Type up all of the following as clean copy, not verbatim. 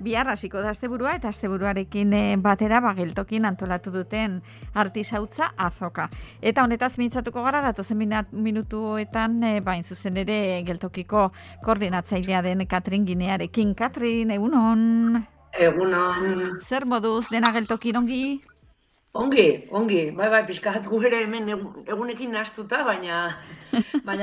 Bihar hasiko da asteburua eta asteburuarekin batera geltokin antolatu duten artisautza azoka. Eta honetaz mintzatuko gara datozen minutuetan bain zuzen ere geltokiko koordinatzailea den Katrin Ginearekin. Katrin, egunon? Egunon. Zer moduz dena geltokin ongi? Ongi. Bai, pixkat gu ere hemen egunekin nahastuta, baina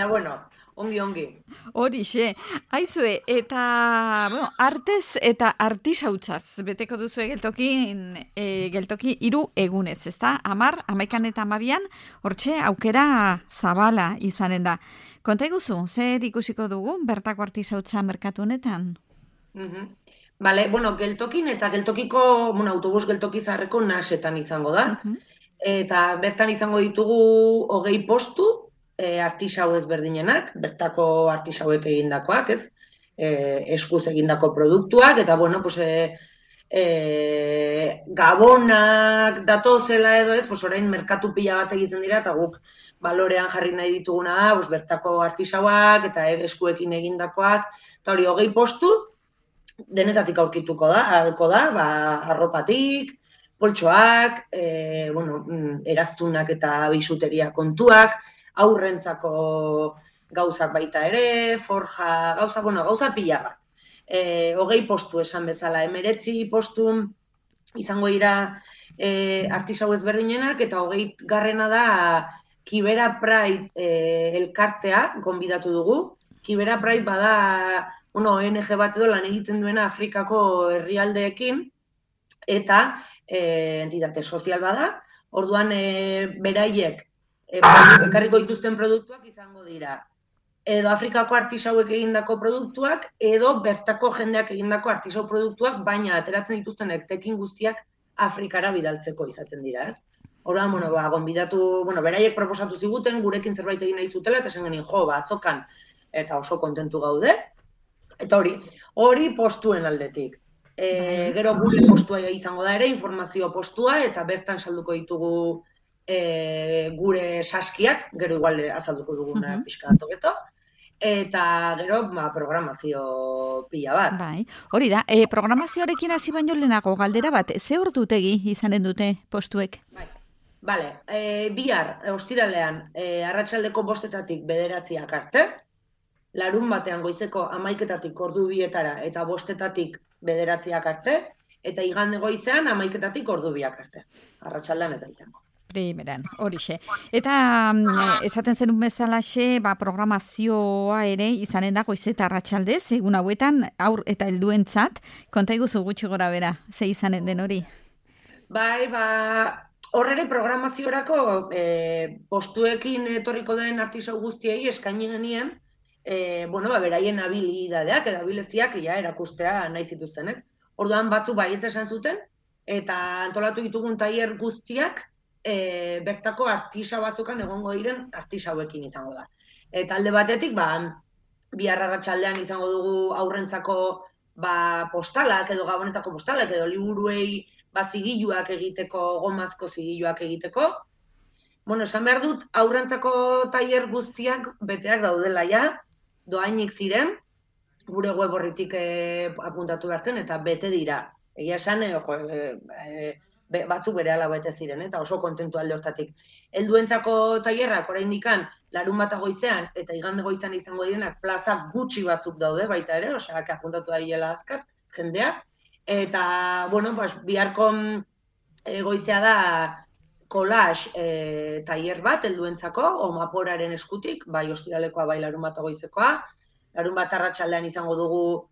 bueno, ongi. Horixe, aizue, eta, artez eta artisautzaz, beteko duzu geltoki 3 egunez, ezta? 10, 11 eta 12, hortxe aukera zabala izanen da. Konta iguzu, zer ikusiko dugu bertako artisautza merkatu honetan? Bale, geltokin eta geltokiko, autobus geltoki zaharreko nasetan izango da. Eta bertan izango ditugu 20 postu, artisau ezberdinenak, bertako artisauek egindakoak, ez? Eskuz egindako produktuak, eta gabonak datozela edo ez, orain merkatu pila bat egiten dira, eta guk balorean jarri nahi dituguna da, bertako artisauak eta eskuekin egindakoak, eta hori 20 postu, denetatik aurkituko da, arropatik, poltsoak, eraztunak eta bisuteria kontuak, aurrentzako gauzak baita ere, forja, gauza pila bat. 20 postu esan bezala, 19 postu izango dira artisau ezberdinenak, eta 20 garrena da Kibera Pride elkartea gonbidatu dugu. Kibera Pride bada ONG bat edo lan egiten duena Afrikako herrialdeekin, eta entitate sozial bada, orduan beraiek ekarriko dituzten produktuak izango dira. Edo Afrikako artisauek egindako produktuak, edo bertako jendeak egindako artisau produktuak, baina ateratzen dituzten etekin guztiak Afrikara bidaltzeko izaten dira, ez? Orduan, gonbidatu, beraiek proposatu ziguten, gurekin zerbait egin nahi zutela, eta esan genien, azokan, eta oso kontentu gaude. Eta hori postuen aldetik. Gero gure postua izango da ere, informazio postua, eta bertan salduko ditugu gure saskiak, gero igual azalduko duguna pixka toketo, eta gero programazio pila bat. Bai, hori da, programazioarekin hasi baino lehenago galdera bat, ze ordutegi izanen dute postuek? Bale, bihar, ostiralean, arratsaldeko 5-etatik 9 arte, larun batean goizeko 11-etatik 2 eta 5-etatik 9 arte, eta igande goizean 11-etatik 2 arte, arratsaldean eta izango. Primeran, horixe. Eta esaten zenun bezalaxe, programazioa ere izanen da goiz eta arratsaldez, egun hauetan aur eta helduentzat, konta iguzu gutxi gora bera, ze izanen den hori? Bai, horre programaziorako postuekin etorriko den artisau guztiei eskaini genien, beraien habilidadeak edo habiliziak erakustea nahi zituzten, ez? Orduan batzuk baietz esan zuten, eta antolatu ditugun tailer guztiak bertako artisau bazukan egongo diren artisauekin izango da. Eta alde batetik, bihar arratsaldean izango dugu aurrentzako postalak edo gabonetako postalak edo liburuei zigiluak egiteko, gomazko zigiluak egiteko. Esan behar dut, aurrentzako tailer guztiak beteak daudela doainik ziren, gure web horritik apuntatu behartzen, eta bete dira. Egia esan, batzuk berehala bete ziren, eta oso kontentu alde hortatik. Helduentzako tailerrak oraindikan larun bata goizean eta igande goizean izango direnak plaza gutxi batzuk daude baita ere, osea, apuntatu daiela azkar jendea. Eta, biharko goizea da collage tailer bat helduentzako, Omaporaren eskutik, bai ostiralekoa, bai larun bata goizekoa. Larun bat arratsaldean izango dugu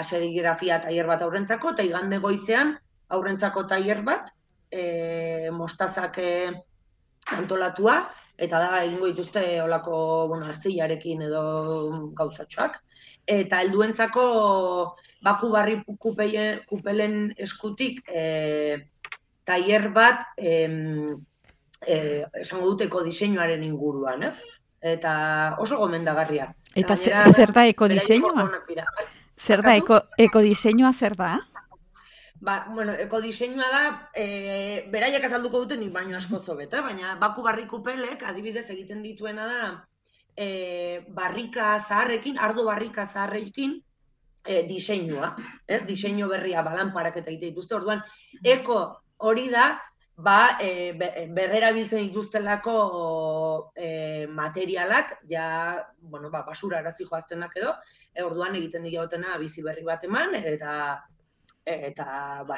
serigrafia tailer bat aurrentzako, eta igande goizean aurrentzako tailer bat, mostazak antolatua, eta da egingo dituzte olako artzilarekin edo gauzatxoak. Eta helduentzako baku barri kupelen eskutik tailer bat esango duteko diseinuaren inguruan, ez? Eta oso gomendagarria. Eta zer da ekodiseinua? Zer da ekodiseinua, zer da? Ekodiseinua da, beraiek azalduko duten nik baino asko zobeta, baina baku barri kupelek adibidez egiten dituena da barrika zaharrekin, ardo barrika zaharrekin, diseinua, ez? Diseinu berria balanparak eta egite dituzte, orduan, eko hori da, berrerabiltzen dituztelako materialak, basura arazi joaztenak edo, orduan egiten diotena bizi berri bat eman, eta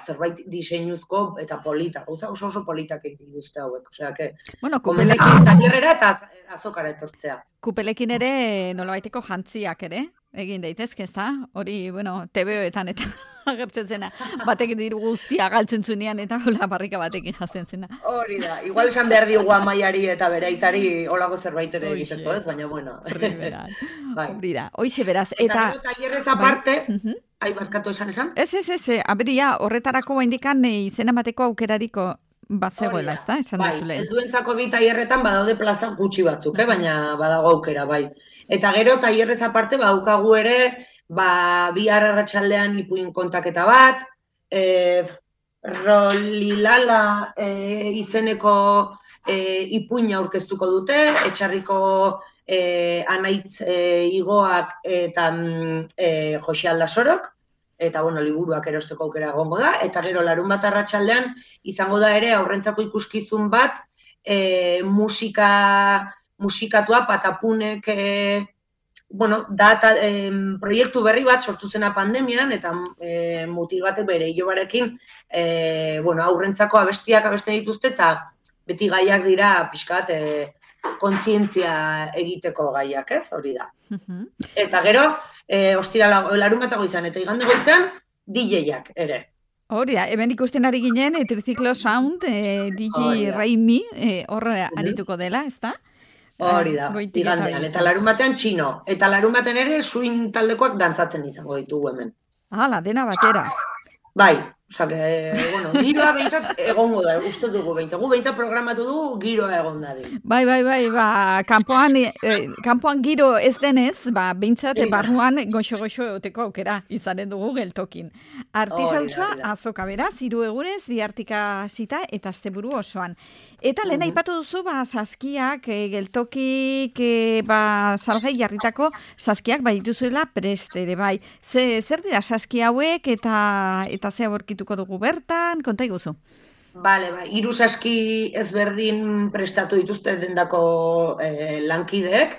zerbait diseinuzko eta polita, oso politak egiten dituzte hauek, osea, kupelekin... Tailerrera eta azokara etortzea. Kupelekin ere, nolabaiteko jantziak ere, egin daitezke, ezta? Hori, TVOetan eta agertzen zena, batek diru guztia galtzen zunean eta hola barrika batekin jazen zena. Hori da, igual esan behar digu amaiari eta bere aitari holako zerbait ere egiteko, ez? Baina, bueno. Hori da, hoize beraz. Eta tailerrez aparte, barkatu esan? Ez, aberia, horretarako indikan izena bateko aukerariko bat zegoela, ez da? Esan duzu lehen. Helduentzako bi tailerretan badaude plaza gutxi batzuk, baina badago aukera, bai. Eta gero tailerrez aparte badaukagu ere, bihar arratsaldean ipuin kontaketa bat, Rolilala izeneko ipuina aurkeztuko dute, Etxarriko Anaitz Igoak eta Jose Aldasorok, eta liburuak erosteko aukera egongo da, eta gero larunbat arratsaldean izango da ere aurrentzako ikuskizun bat musikatua Patapunek proiektu berri bat sortu zena pandemian, eta mutil batek bere ilobarekin aurrentzako abestiak abesten dituzte, eta beti gaiak dira pixkat kontzientzia egiteko gaiak, ez? Hori da. Eta gero, larunbatago izan, eta igande goizean, DJ-ak ere. Hori da, hemen ikusten ari ginen, Triciclo Sound, DJ Raimi, horre arituko dela, ez da? Hori da, igandean, eta larunbatean txino. Eta larunbatean ere, swing taldekoak dantzatzen izango ditugu hemen. Hala, dena batera. Bai, giroa behintzat egongo da, uste dugu behintzat. Gu behintzat programatu dugu, giroa egon da. Bai, kanpoan giro ez denez, behintzat barruan goxo-goxo egoteko aukera izanen dugu geltokin. Artisautza azoka beraz, 3 egunez, bihartika hasita eta asteburu osoan. Eta lehen aipatu duzu, saskiak, geltokik, salgai jarritako saskiak dituzuela prest ere bai. Zer dira saski hauek eta ze aurkituko dugu bertan, konta iguzu? Bale, 3 saski ezberdin prestatu dituzte dendako lankideek,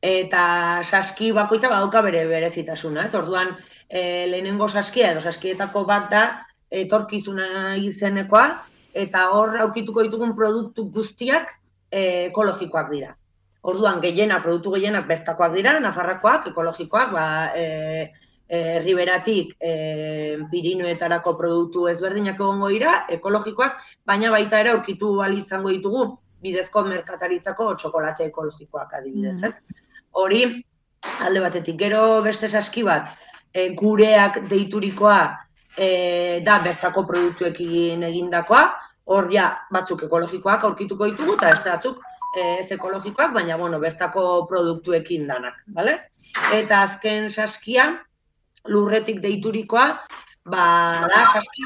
eta saski bakoitza badauka bere berezitasuna, ez? Orduan, lehenengo saskia edo saskietako bat da etorkizuna izenekoa, eta hor aurkituko ditugun produktu guztiak ekologikoak dira. Orduan, produktu gehienak bertakoak dira, nafarrakoak, ekologikoak, Riberatik Pirinoetarako produktu ezberdinak egongo dira, ekologikoak, baina baita ere aurkitu ahal izango ditugu bidezko merkataritzako txokolate ekologikoak adibidez, ez? Hori, alde batetik, gero beste saski bat, gureak deiturikoa da bertako produktuekin egindakoa, hor batzuk ekologikoak aurkituko ditugu, eta ez batzuk ez ekologikoak, baina bertako produktuekin danak, bale? Eta azken saskia, lurretik deiturikoa, da saski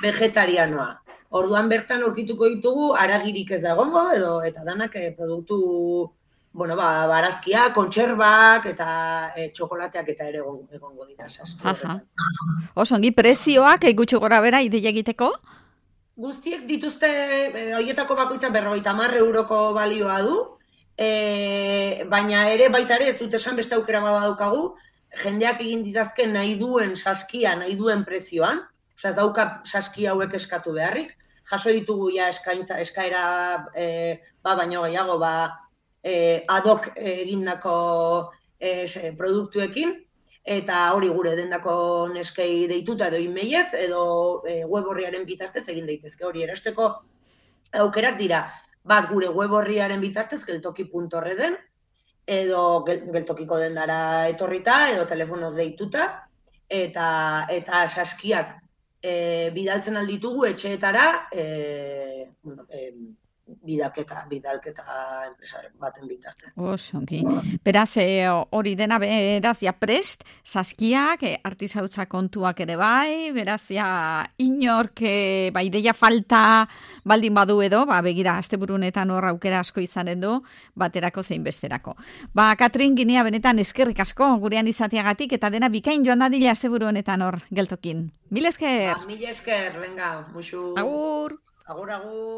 vegetarianoa. Orduan bertan aurkituko ditugu, haragirik ez da egongo, eta danak produktu, barazkia, kontserbak, eta txokolateak eta ere egongo dira saski. Osongi, prezioak gutxi gora bera ideia egiteko? Guztiek dituzte, horietako bakoitza 50 euroko balioa du, baina ere baita ere ez dut esan beste aukera badaukagu, jendeak egin ditazken nahi duen saskia, nahi duen prezioan, ez dauka saski hauek eskatu beharrik, jaso ditugu eskaera baino gehiago ad hoc egindako produktuekin, eta hori gure dendako neskei deituta edo emailez, edo web orriaren bitartez egin daitezke. Hori erosteko aukerak dira, bat gure web orriaren bitartez, geltoki.reden, edo geltokiko dendara etorrita, edo telefonoz deituta, eta saskiak bidaltzen alditugu etxeetara bidalketa enpresaren baten bitartez. Osongi. Beraz, hori dena, beraz, ja prest, saskiak, artisautza kontuak ere bai, beraz, ja inork, ideia falta baldin badu edo, begira, asteburunetan hor aukera asko izanen du, baterako zein besterako. Katrin Ginea, benetan eskerrik asko, gurean izateagatik, eta dena bikain joan dadila asteburu honetan hor geltokin. Mil esker! Mil esker, venga, musu. Agur! Agur, agur!